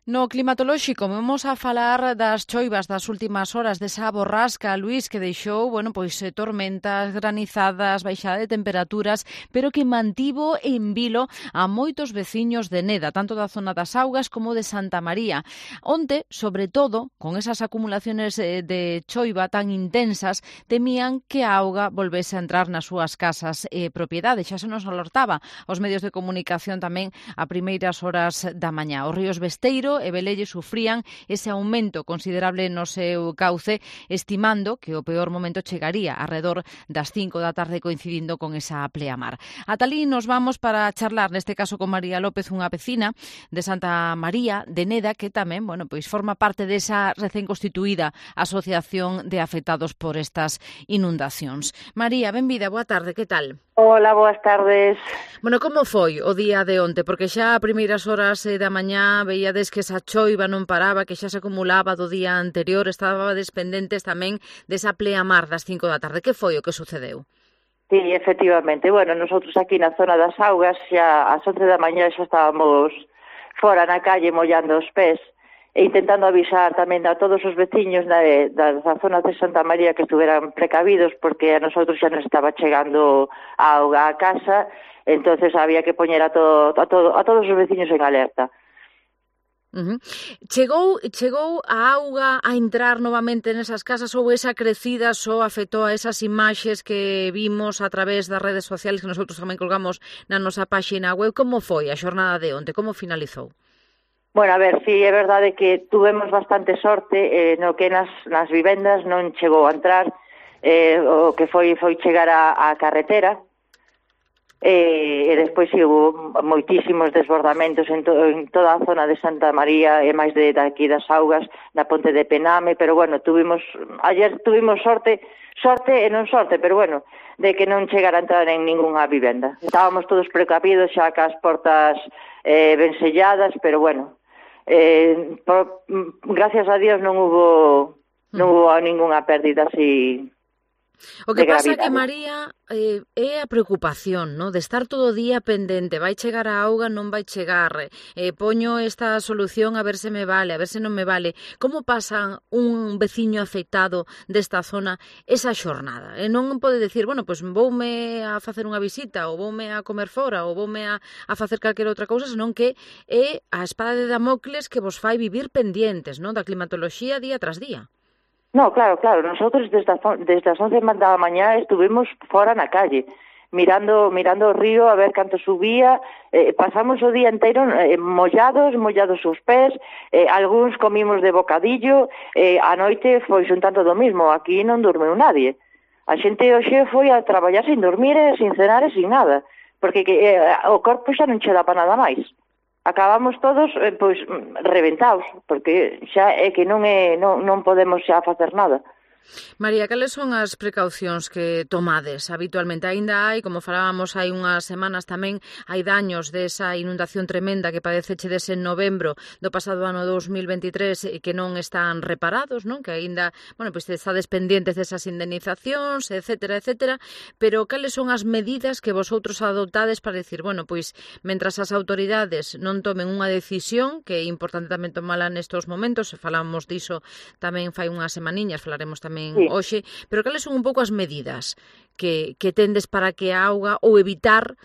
No climatolóxico vamos a falar das choivas das últimas horas, desa borrasca, Luís, que deixou, tormentas, granizadas, baixada de temperaturas, pero que mantivo en vilo a moitos veciños de Neda, tanto da zona das Augas como de Santa María. Onte, sobre todo, con esas acumulaciones de choiva tan intensas, temían que a auga volvese a entrar nas súas casas e propiedades. Xa se nos alertaba aos medios de comunicación tamén a primeiras horas da mañá. Os ríos Besteiro e Velelle sufrían ese aumento considerable no seu cauce, estimando que o peor momento chegaría arredor das 5 da tarde, coincidindo con esa pleamar. Ata alí nos vamos para charlar, neste caso con María López, unha vecina de Santa María de Neda, que tamén, forma parte desa recén constituída Asociación de Afectados por estas inundacións. María, benvida, boa tarde, que tal? Hola, boas tardes. Como foi o día de onte? Porque xa a primeiras horas da mañá veíades que esa choiva non paraba, que xa se acumulaba do día anterior, estabades pendentes tamén desa pleamar das 5 da tarde. Que foi o que sucedeu? Sí, efectivamente. Bueno, nosotros aquí na zona das Augas xa ás 11 da mañá xa estábamos fora na calle mollando os pés e intentando avisar tamén a todos os veciños da zona de Santa María que estuveran precavidos, porque a nosotros xa nos estaba chegando a auga a casa, entonces había que poñer a todos os veciños en alerta. Chegou a auga a entrar novamente nesas casas, ou esa crecida só afectou a esas imaxes que vimos a través das redes sociales que nosotros tamén colgamos na nosa páxina web? Como foi a xornada de onte? Como finalizou? Bueno, a ver, sí, é verdade que tuvemos bastante sorte no que nas vivendas non chegou a entrar, o que foi chegar á carretera, e despois sí, hubo moitísimos desbordamentos en toda a zona de Santa María e máis de aquí das Augas, na ponte de Pename, pero bueno, ayer tuvimos sorte e non sorte, pero bueno, de que non chegara a entrar en ningunha vivenda. Estábamos todos precavidos xa cas portas ben selladas, pero bueno, gracias a Dios non hubo ningunha pérdida así. O que pasa que, María, é a preocupación, no? De estar todo o día pendente, vai chegar a auga, non vai chegar, poño esta solución a ver se me vale, a ver se non me vale. Como pasa un veciño afectado desta zona esa xornada? Non pode decir, voume a facer unha visita, ou voume a comer fora, ou voume a facer calquera outra cousa, senón que é a espada de Damocles que vos fai vivir pendientes, non? Da climatoloxía día tras día. No, claro, nosotros desde as 11 da mañá estuvimos fora na calle, mirando o río a ver canto subía, pasamos o día inteiro mollados os pés, algúns comimos de bocadillo, a noite foi un tanto do mismo, aquí non dormeu nadie. A xente hoxe foi a traballar sin dormir, sin cenar e sin nada, porque o corpo xa non che dá para nada máis. Acabamos todos reventados, porque xa é que non podemos xa facer nada. María, cales son as precaucións que tomades habitualmente? Aínda hai, como falábamos hai unhas semanas tamén, hai daños desa inundación tremenda que padecechedes en novembro do pasado ano 2023 que non están reparados, non? Que aínda, estades pendientes desas indemnizacións, etcétera, pero cales son as medidas que vosotros adoptades para decir, mentras as autoridades non tomen unha decisión, que é importante tamén tomala nestos momentos, falamos diso tamén fai unhas semaniñas, falaremos tamén hoxe, pero cales son un pouco as medidas que tendes para que a auga, ou evitar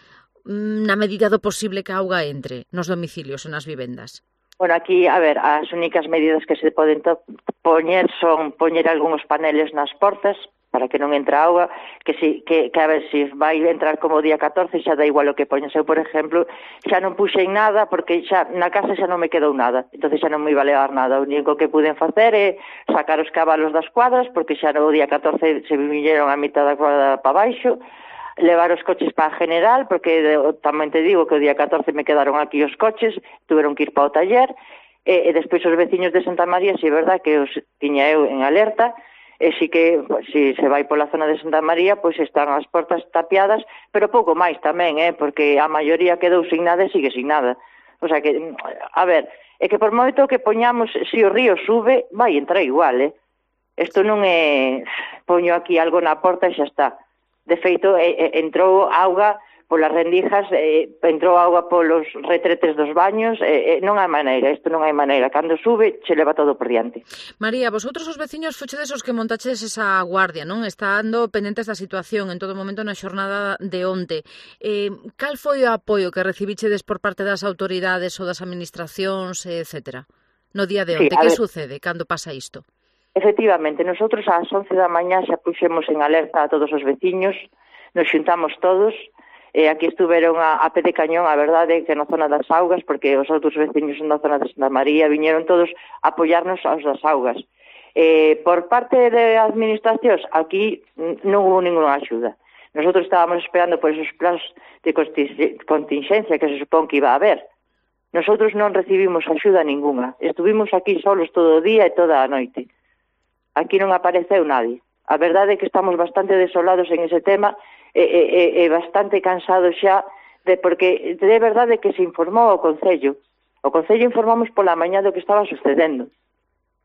na medida do posible que a auga entre nos domicilios e nas vivendas? Bueno, aquí, a ver, as únicas medidas que se poden poñer son poñer algúns paneles nas portas para que non entre auga, que a ver, se vai entrar como o día 14 xa da igual o que poñas. Eu, por exemplo, xa non puxen nada porque xa na casa xa non me quedou nada, entonces xa non me iba a levar nada. O único que puden facer é sacar os cabalos das cuadras, porque xa no día 14 se viñeron a mitad da cuadra para baixo, levar os coches para a General, porque tamén te digo que o día 14 me quedaron aquí os coches, tuveron que ir para o taller, e despois os veciños de Santa María, si é verdad que os tiña eu en alerta, e si que, se vai pola zona de Santa María, pois están as portas tapiadas, pero pouco máis tamén, porque a maioría quedou sin nada e sigue sin nada. O sea que, a ver, é que por moito que poñamos, se o río sube, vai entrar igual, Isto non é, poño aquí algo na porta e xa está. De feito, entrou auga polas rendijas, entrou auga polos retretes dos baños, non hai maneira, isto non hai maneira. Cando sube, se leva todo por diante. María, vosotros os veciños fochedes os que montaches esa guardia, non? Estando pendentes da situación en todo momento na xornada de onte. Cal foi o apoio que recibichedes por parte das autoridades ou das administracións, etcétera? No día de onte, que sucede cando pasa isto? Efectivamente, nosotros ás 11 da mañá xa puxemos en alerta a todos os veciños, nos xuntamos todos, e aquí estuveron a pé de cañón, a verdade, que na zona das augas, porque os outros veciños na zona de Santa María viñeron todos a apoiarnos aos das augas. Por parte de administracións, aquí non hubo ninguna axuda. Nosotros estábamos esperando por esos plans de contingencia que se supón que iba a haber. Nosotros non recibimos axuda ninguna. Estuvimos aquí solos todo o día e toda a noite. Aquí non apareceu nadie. A verdade é que estamos bastante desolados en ese tema e bastante cansados xa porque de verdade que se informou ao Concello. O Concello informamos pola mañá do que estaba sucedendo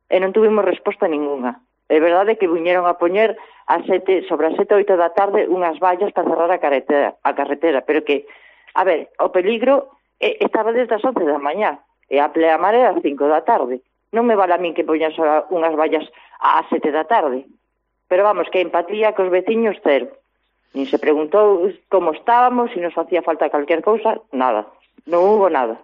e non tuvimos resposta ninguna. É verdade que viñeron a poñer sobre as 7 ou 8 da tarde unhas vallas para cerrar a carretera, pero que, a ver, o peligro estaba desde as 11 da mañá e a pleamar era as 5 da tarde. Non me vale a min que poñas unhas vallas ás 7 da tarde. Pero vamos, que empatía cos veciños cero. Nin se preguntou como estábamos, se nos facía falta calquer cousa, nada. Non hubo nada.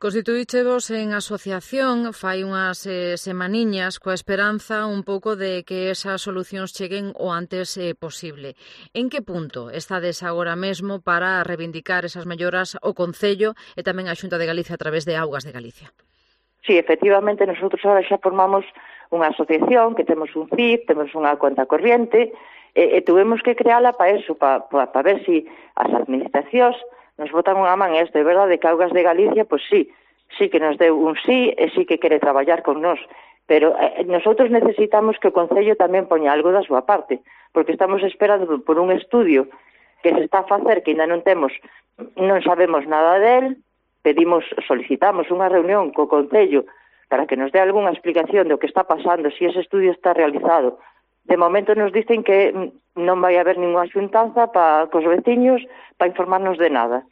Constituíchevos en asociación fai unhas semaniñas coa esperanza un pouco de que esas solucións cheguen o antes posible. En que punto estades agora mesmo para reivindicar esas melloras o Concello e tamén a Xunta de Galicia a través de Augas de Galicia? Sí, efectivamente, nosotros ahora xa formamos unha asociación, que temos un CIF, temos unha conta corriente, e tuvemos que creala para eso, para ver se as administracións nos botan unha man isto. É verdade que Augas de Galicia, pois sí que nos deu un sí, e sí que quere traballar con nós, pero nosotros necesitamos que o Concello tamén poña algo da súa parte, porque estamos esperando por un estudio que se está a facer, que ainda non sabemos nada del. Solicitamos unha reunión co Concello para que nos dé algunha explicación do que está pasando, se ese estudio está realizado. De momento nos dicen que non vai haber ninguna xuntanza cos veciños para informarnos de nada.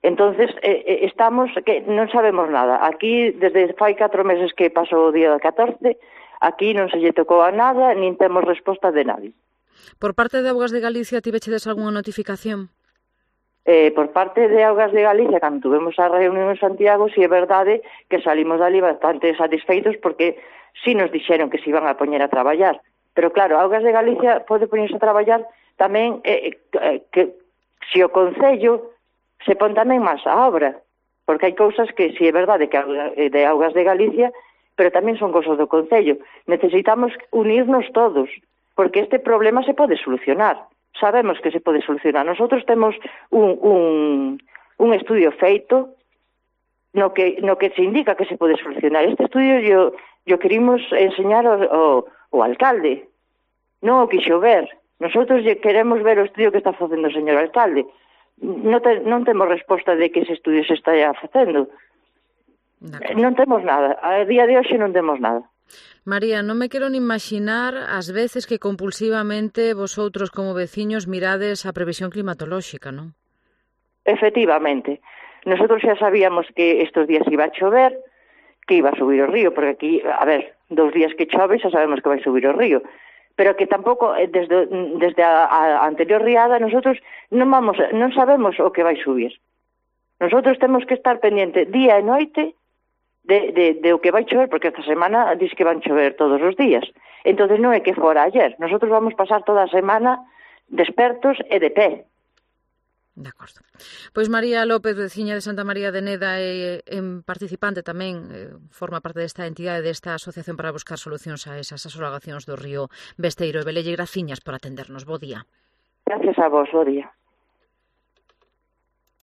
Entonces, estamos que non sabemos nada. Aquí, desde fai 4 meses que pasou o día da 14, aquí non se lle tocou a nada, nin temos resposta de nadie. Por parte de Augas de Galicia, tivechedes algunha notificación? Por parte de Augas de Galicia, cando tuvemos a reunión en Santiago, si é verdade que salimos dali bastante satisfeitos porque si nos dixeron que se iban a poñer a traballar. Pero claro, Augas de Galicia pode poñerse a traballar tamén que se o Concello se pon tamén máis a obra, porque hai cousas que si é verdade que de Augas de Galicia, pero tamén son cousas do Concello. Necesitamos unirnos todos, porque este problema se pode solucionar. Sabemos que se pode solucionar. Nosotros temos un estudio feito no que se indica que se pode solucionar. Este estudio yo querimos enseñar ao alcalde. Non o quixo ver. Nosotros queremos ver o estudio que está facendo o señor alcalde. Non temos resposta de que ese estudio se está facendo. Non temos nada. A día de hoxe non temos nada. María, non me quero nin imaginar as veces que compulsivamente vosotros como veciños mirades a previsión climatolóxica, non? Efectivamente. Nosotros xa sabíamos que estes días iba a chover, que iba a subir o río, porque aquí, a ver, 2 días que chove xa sabemos que vai subir o río, pero que tampouco, desde a anterior riada, nosotros non sabemos o que vai subir. Nosotros temos que estar pendiente día e noite de o que vai chover, porque esta semana diz que van chover todos os días. Entonces non é que fora ayer. Nosotros vamos pasar toda a semana despertos e de pé. De acordo. Pois María López, veciña de Santa María de Neda e participante tamén, forma parte desta entidade, desta asociación para buscar solucións a esas asolagacións do río Besteiro e Velelle. Graciñas por atendernos. Bo día. Gracias a vos, bo día.